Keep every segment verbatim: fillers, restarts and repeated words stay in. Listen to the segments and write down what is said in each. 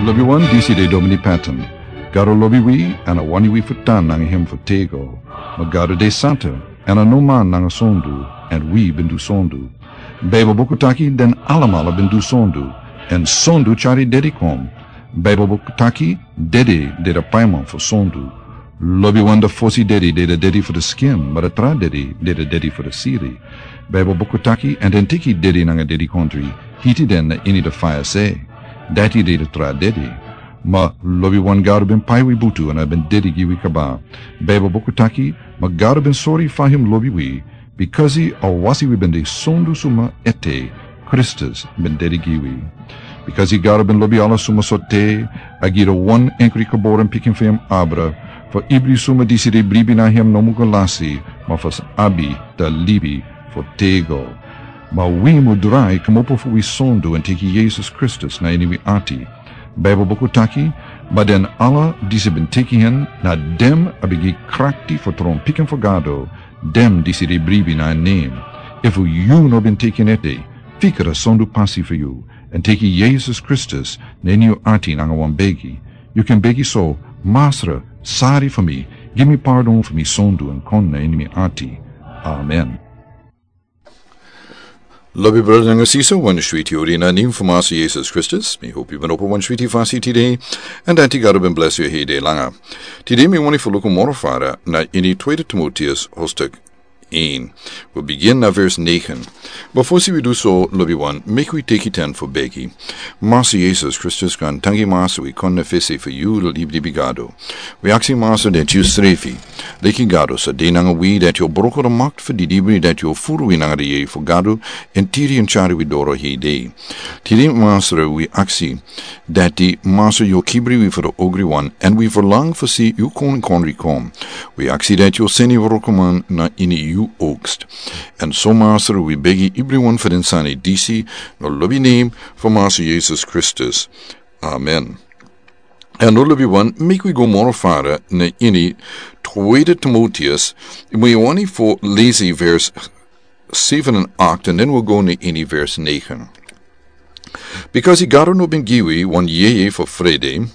Lobi wan, disi de Domini Patton. Gado lobi wi, èn a wani wi fu tan nanga hem fu tego. Ma Gado de santa, èn a no man nanga sondu, èn wi ben du sondu. Baibel buku taki den alamala ben du sondu, èn sondu tyari dedi kon. Baibel buku taki dede de de paiman fu sondu. Lobi wan, de fosi dedi de de dedi fu de skin, ma de tra dedi de de dedi fu de siri. Baibel buku taki, èn den teki dedi nanga dedikontri, hiti den na ini de faya se. Dati de de tra dedi. Ma lobi wan, Gado ben pai wi butu èn a ben dedi gi wi kaba. Baibel buku taki, ma Gado ben sori fa hem lobi wi, bikasi a wasi wi ben de sondu suma ete, Kristus ben dedi gi wi. Bikasi Gado ben lobi ala suma sorte, a gi de wan enkri geboren pikin fu hem abra, fu ibri suma disi de bribi na hem no mu go lasi, ma fu abi de libi fu tego. Ma wi mu drai kmopo fu wi sondu èn teki Yesus Kristus na ini wi ati. Baibel buku taki, ma den ala disi ben teki hen, na den a ben gi krakti fu tron pikin fu Gado, den disi de bribi na en nen. Efu yu no ben teki en ete, fika a sondu pasi fu yu, èn teki Yesus Kristus na ini yu ati nanga wan begi. Yu kan begi so: Masra, sari fu mi, gi mi pardon fu mi sondu èn kon na ini mi ati. Amen. Lobi brada nanga sisa, wan switi odi na nen fu Masra Yesus Kristus. Mi hopi yu ben opo wan switi fasi tide, èn dati Gado ben blesi yu heri de langa. Tide mi wani fu luku moro fara na ini Tweede Timoteus hoofdstuk een. We begin na vers negen. Before wi du so, lobi wan, meki wi teki ten fu begi. Masra Yesus Kristus, kan tangi Masra, wi kon na fesi fu yu, libi libi Gado. Wi aksi Masra dati yu srefi, leki Gado, sa de nanga wi, dati yu o broko de makti fu di libri, dati yu o furu wi nanga de yeye fu Gado, èn tiri èn tyari wi doro heri de. Tiri Masra, wi aksi dati Masra yu o kibri wi fu de ogri wan, èn wi ferlang fu si yu konkondri kon. Wi aksi dati yu o seni wrokoman na ini yu oogst. Èn so Masra, wi begi ibriwan fu den sani disi, na lobi nen fu Masra Yesus Kristus. Amen. Èn now lobi wan, meki wi go moro fara na ini Tweede Timoteus, mi wani fu lesi vers zeven en acht, èn den wi go na ini vers negen. Bikasi Gado no ben gi wi wan yeye fu frede,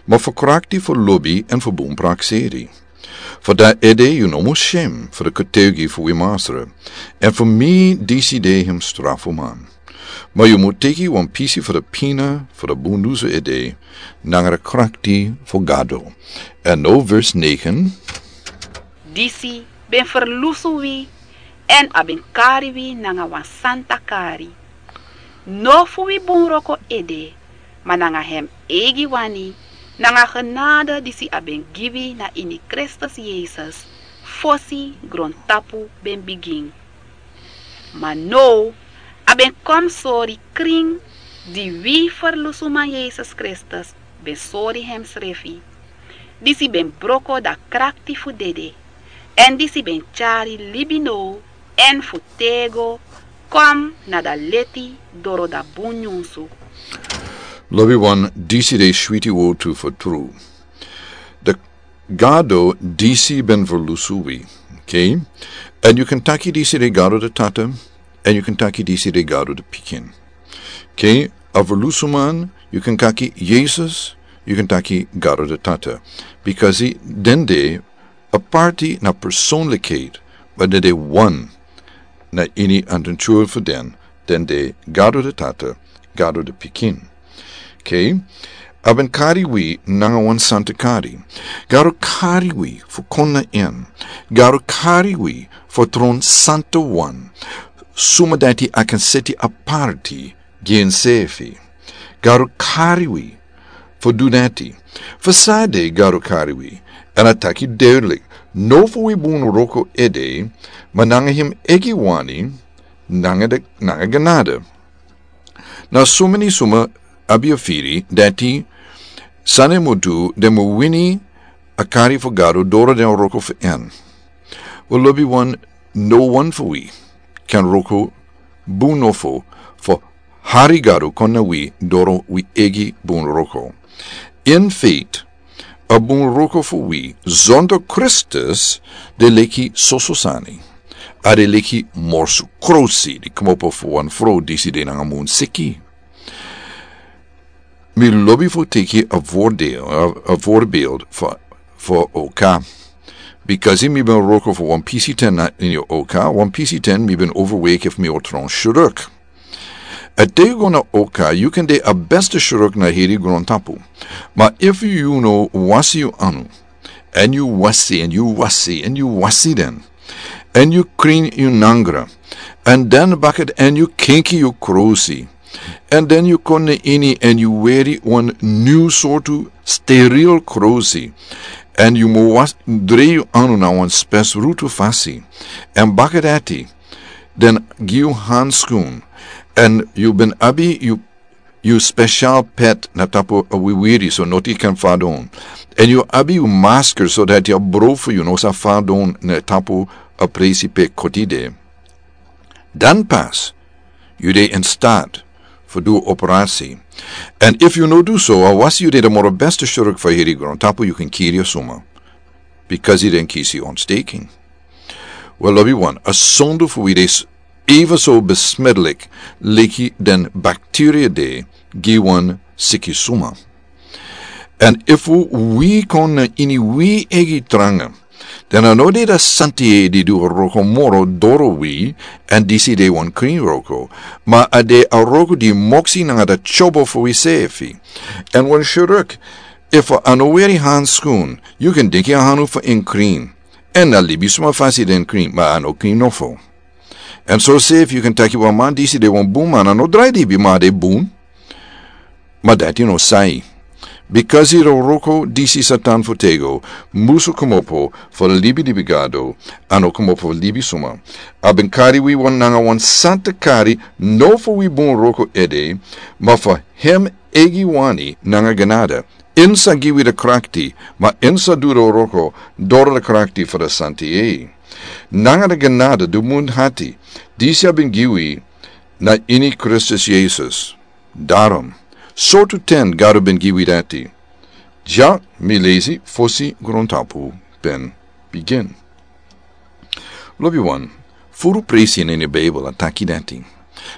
ma fu krakti, fu lobi, èn fu bun prakseri. Fu dati ede yu no mus syem fu de getuigi fu wi Masra, èn fu mi disi de hem strafuman. Ma yu mus teki wan pisi fu de pina fu de bundusu ede, nanga de krakti fu Gado. Èn now vers negen. Disi ben ferlusu wi, èn a ben kari wi nanga wan santa kari. No fu wi bun wroko ede, ma nanga hem eigi wani, nanga genade disi a ben gi wi na ini Kristus Yesus, fosi grontapu ben bigin. Ma now a ben kon sori krin di wi ferlusuman Yesus Kristus ben sori hemsrefi, disi ben broko da krakti fu dede, èn disi ben tyari libi now, èn fu tego kon na da leti doro da bun nyunsu. Lobi wan, disi de switi wortu fu tru. De Gado disi ben ferlusu wi. Okay? Èn yu kan taki disi de Gado de Tata, èn yu kan taki disi de Gado de Pikin. Okay? A ferlusuman, yu kan taki Yesus, yu kan taki Gado de Tata. Bikasi den de a parti na personlikheid, ma den de wan na ini a natura fu den, den de Gado de Tata, Gado de Pikin. Okay? A ben kari wi nanga wan santa kari. Gado kari wi fu kon na en. Gado kari wi fu tron santa wan. Suma dati a kan seti aparti gi ensefi. Gado kari wi fu du dati. Fu san ede Gado kari wi? Èn a taki duidelijk, no fu wi bun wroko ede, ma nanga hem eigi wani, nanga de, nanga genade. Na someni suma abi a firi dati san den mu du, den mu wini a kari fu Gado doro den wroko fu en. Wel, lobi wan, no wan fu wi kan wroko bun nofo fu hari Gado kon na wi doro wi eigi bun wroko. In feite, a bun wroko fu wi zonder Kristus de leki soso sani. A de leki morsu krosi di kmopo fu wan frow disi de nanga munseki. Mi lobi fu teki a voordeel, a, a voorbeeld fu, fu oka. Bikasi mi ben wroko fu wan pisi ten na ini oka, wan pisi ten mi ben overweki fu mi o tron sruk. A te yu go na oka, yu kan de a beste sruk na heri grontapu. Ma efu yu no wasi yu anu, èn yu wasi, èn yu wasi, èn yu wasi den, èn yu krin yu nangra, èn den baka èn yu kenki yu krosi, èn den yu kon na ini èn yu weri wan nyun sortu steril krosi, èn yu mu was, drei yu anu na wan spesrutu fasi, èn baka dati den gi yu hanskun, èn yu ben abi yu yu spesial pet na tapu a wiwiri so noti kan fadon. Èn yu abi yu masker so dati a bro fu yu no sa fadon na tapu a presi pe koti de. Dan pas, yu de in staat fu du operasi. Èn efu yu no du so, a wasi yu de de moro beste sruk fu heri grontapu yu kan kiri a suma. Bikasi den kisi ontsteking. Wel, lobi wan, a sondu fu wi de s-, even so besmettelijk leki den bacteria de gi wan siki suma. Èn efu wi kon na ini wi egi tranga, dan a no de da santi e di du a wroko moro doro wi, èn disi de wan krin wroko, ma a de a wroko di moksi nanga da tyobo fu wi sefi. Èn wan sruk, efu a no weri hanskun, yu kan denki a hanu fu en krin. Èn a libisma fasi den krin, ma a no krin nofo. Èn so sefi yu kan taki wan man disi de wan bun man, a no drai dibi ma a de bun. Ma dati no sai. Bikasi a wroko disi Satan fu tego, musu komopo fu libi dibi gado, a no komopo fu libisma. A ben kari wi wan nanga wan santa kari, no fu wi bun wroko ede, ma fu hem egi wani nanga genada. En sa gi wi da krakti, ma en sa du da wroko doro da krakti fu da santi e. Nanga da genada du mun hati, disi a ben gi wi na ini Kristus Yesus. Darom, sortu ten Gado ben gi wi dati. Dya mi lesi fosi grontapu ben bigin. Lobi wan, furu presi na ini Beibel a taki dati.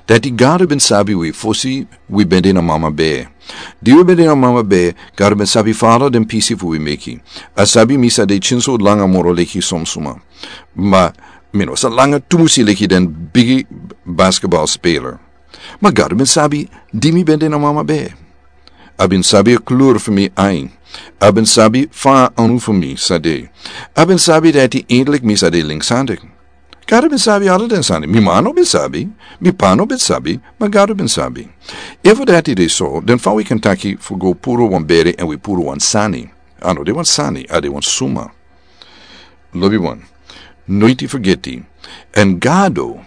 Dati Gado ben sabi wi fosi wi ben de na mama bee. Di wi ben de na mama bee, Gado ben sabi fala den pisi fu wi meki. A sabi mi sa de kinso langa moro leki somsuma. Ma, mi no sa langa tumusi leki den bigi basketbal speler. Ma Gado ben sabi di mi ben de na mama bee. A ben sabi a klur fu mi ain. A ben sabi fa anu fu mi sa de. A ben sabi dati eindelijk mi sa de linkshandig. Gado ben sabi ala den sani. Mi ma no ben sabi. Mi pa no ben sabi. Ma Gado ben sabi. Efu dati de so, den fa wi kan taki fu go puru wan beri èn wi puru wan sani. A no de wan sani, a de wan suma. Lobi wan. Noiti fergeti. Èn Gado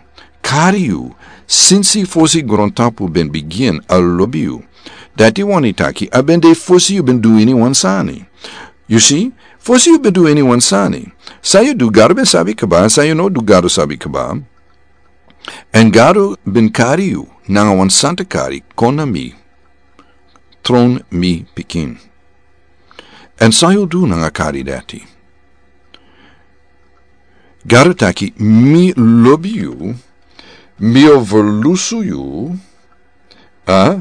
kari yu, sinsi fosi grontapu ben bigin a lobi yu. Dati wani taki, a ben de fosi yu ben du ini wan sani. Yu si, fosi yu ben du ini wan sani. San yu du Gado ben sabi kaba, san yu no du Gado sabi kaba. Èn Gado ben kari yu, nanga wan santa kari, kon na mi. Tron mi pikin. Èn san yu du nanga kari dati. Gado taki, mi lobi yu, mi o ferlusu yu, a,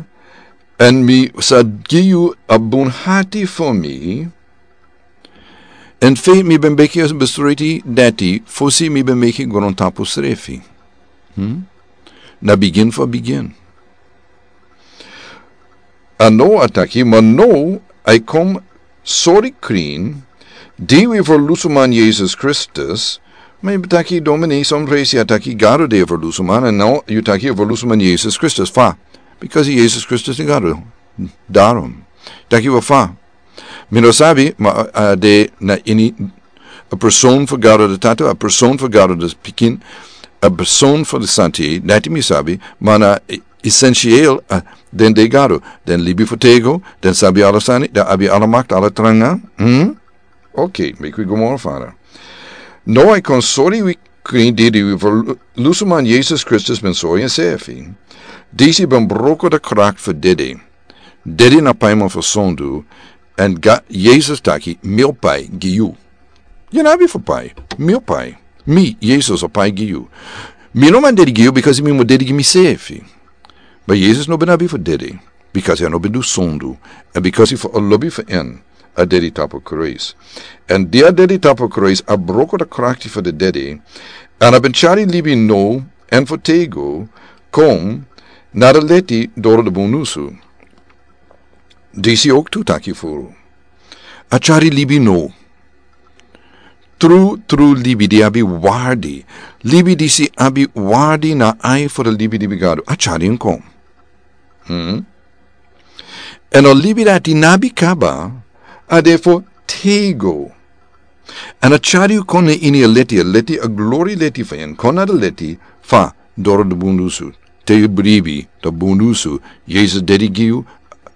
èn mi sa gi yu a bun hati fu mi, èn fe mi ben meki a besluiti dati, fosi mi ben meki grontapu srefi. Hmm? Na bigin fu bigin. A no a taki, ma no, a e kon sori krin, di wi ferlusuman Yesus Kristus, ma yu taki domini, son presi a taki Gado de ferlusuman, èn no, yu taki ferlusuman Yesus Kristus, fa? Bikasi Yesus Kristus de Gado. Darom. Taki wi fa. Mi no sabi, ma a, a de na ini a person fu Gado de Tata, a person fu Gado de Pikin, a person fu de Santi, dati mi sabi, ma na e-, esensieel, a, den de Gado, den libi fu tego, den sabi ala sani, den abi ala makti, ala tranga. Hmm? Ok, meki wi go moro fara. No, a e kon sori wi krin di di wi ferlusuman Yesus Kristus ben sori ensefi. Disi ben broko de krakti fu dede. Dede na paiman fu sondu, èn Ga-, Yesus taki, mi o pai gi yu. Yu no abi fu pai, mi o pai. Mi, Yesus o pai gi yu. Mi no man dede gi yu, bikasi mi mu dede gi misefi. Ma Yesus no ben abi fu dede. Bikasi a no ben du sondu, èn bikasi fu a lobi fu en, a dedi tapu kruis. Èn di a dedi tapu kruis, a broko a krakti fu a dedi, èn a ben tyari libi now, èn fu tego, kon, na a leti doro a bun nusu. Disi owktu taki furu. A tyari libi now. Tru, tru libi di abi wardi. Libi disi abi wardi na a ai fu a libi di Gado. A tyari en kon. Hmm? Èn a libi dati no abi kaba, a de fu tego. Èn a tyari yu kon na ini a leti, a leti, a glori leti fu en, kon na a leti, fa, doro a bun nusu. Te yu bribi, a bun nusu, Yesus dedi gi yu,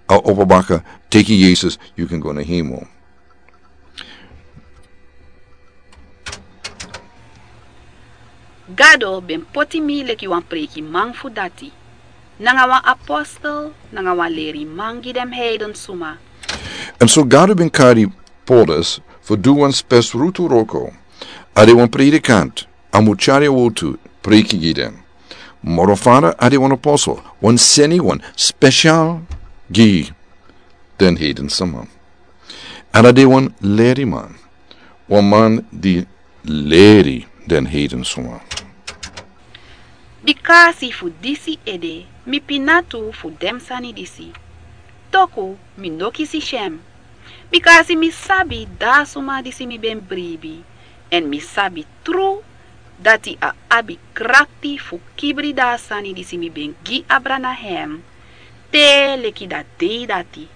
a opo baka, teki Yesus, yu kan go na hemel. Gado ben poti mi leki wan preikiman fu dati, nanga wan apostel, nanga wan leriman gi den heiden suma. Èn so Gado ben kari Paulus fu du wan spesrutu wroko, a de wan predikant, a mu tyari a wortu, preiki gi den. Moro fara a de wan apostel, wan seniwan, spesial gi den heiden suma. Èn a de wan leriman, wan man di leri den heiden suma. Bikasi fu disi ede, mi pina tu fu den sani disi. Toku mi no kisi syen. Bikasi mi sabi a suma disi mi ben bribi. Èn mi sabi tru dati a abi krakti fu kibri a sani disi mi ben gi abra na hem. Te leki a dei dati.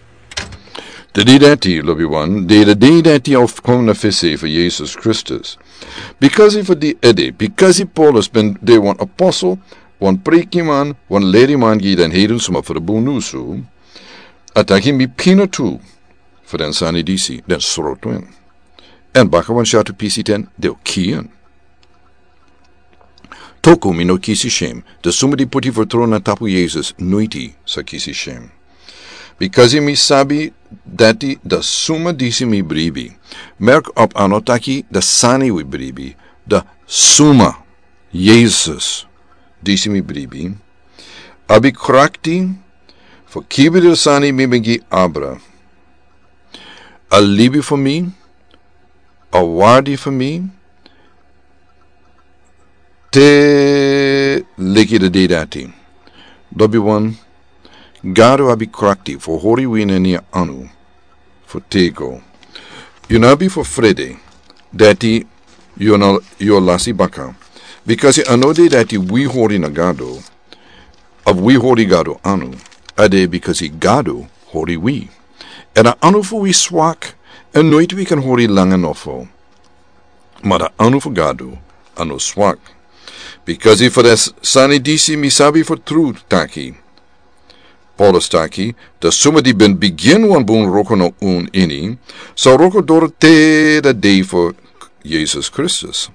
A dei dati, lobiwan, de a dei dati a o kon na fesi fu Yesus Kristus. Bikasi fu di ede, bikasi Paulus ben de wan apostel, wan preikiman, wan leriman gi den heiden suma fu a bun nusu, a taki mi pina tu fu den sani disi, den srotu en. Èn baka wan syatu pisi ten, den o kii en. Toku mi no kisi syen, a suma di poti fertrow na tapu Yesus, noiti sa kisi syen. Bikasi mi sabi dati a suma disi mi bribi. Merk op a no taki a sani wi bribi, a suma Yesus disi mi bribi. Abi krakti, fu kibri a sani mi ben gi abra. A libi fu mi, a wardi fu mi, te leki a dei dati. Lobiwan, Gado abi krakti fu hori wi na ini a anu fu tego. Yu no abi fu frede, dati yu no, yu o lasi baka. Bikasi a no de dati wi hori na Gado, of wi hori Gado anu, a de bikasi Gado hori wi. Èn a anu fu wi swak, èn noiti wi kan hori langa nofo. Ma a anu fu Gado, a no swak. Bikasi fu den sani disi mi sabi fu tru taki. Paulus taki, a suma di ben bigin wan bun wroko na unu ini, sa wroko doro te a dei fu Yesus Kristus.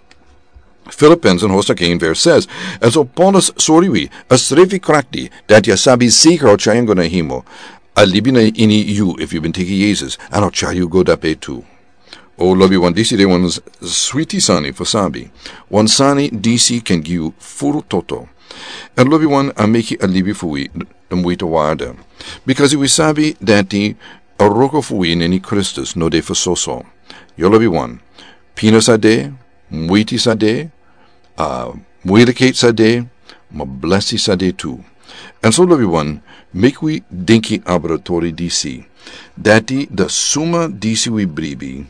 Filippenzen hoofdstuk één vers zes. Èn so Paulus sori wi, a srefi krakti, dati a sabi zeker a o tyari en go na hemel. A libi na ini yu, efu yu ben teki Yesus, èn a o tyari yu go dape tu. O lobiwan, disi de wan s-, switi sani fu sabi. Wan sani disi kan gi yu furu toto. Èn lobiwan, a meki a libi fu wi, d-, di moiti warde. Bikasi wi sabi dati a wroko fu wi na ini Kristus no de fu soso. Yu lobiwan, pina sa de, moiti sa de, a, muilikheid sa de, ma blesi sa de tu. Èn so lobiwan, meki wi denki abra tori disi. Dati a suma disi wi bribi.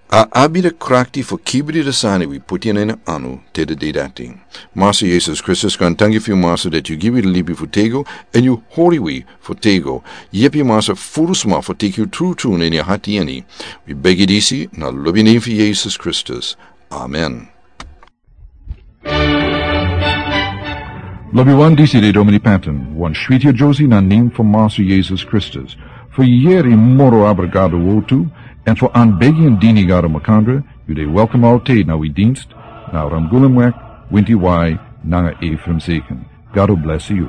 A abi a krakti fu kibri a sani wi poti na en anu te a dei dati. Masa Yesus Kristus, kon danki fu yu Masa dati yu gi wi a libi fu tego, èn yu hori wi fu tego. Yepi Masa furu sma fu teki yu tru tru na ini a hati ini. Wi begi disi na a lobi nen fu Yesus Kristus. Amen. Lobiwan, disi de Domini Patton, wan switi a Josie na nen fu Masa Yesus Kristus. Fu yere moro abra Gado wortu, èn fu anbegi èn dini Gado makandra, yu de welkom altijd na wi dienst, na Ramgulumweg, winti wai, nanga Ephraim Zeken. Gado blesi yu.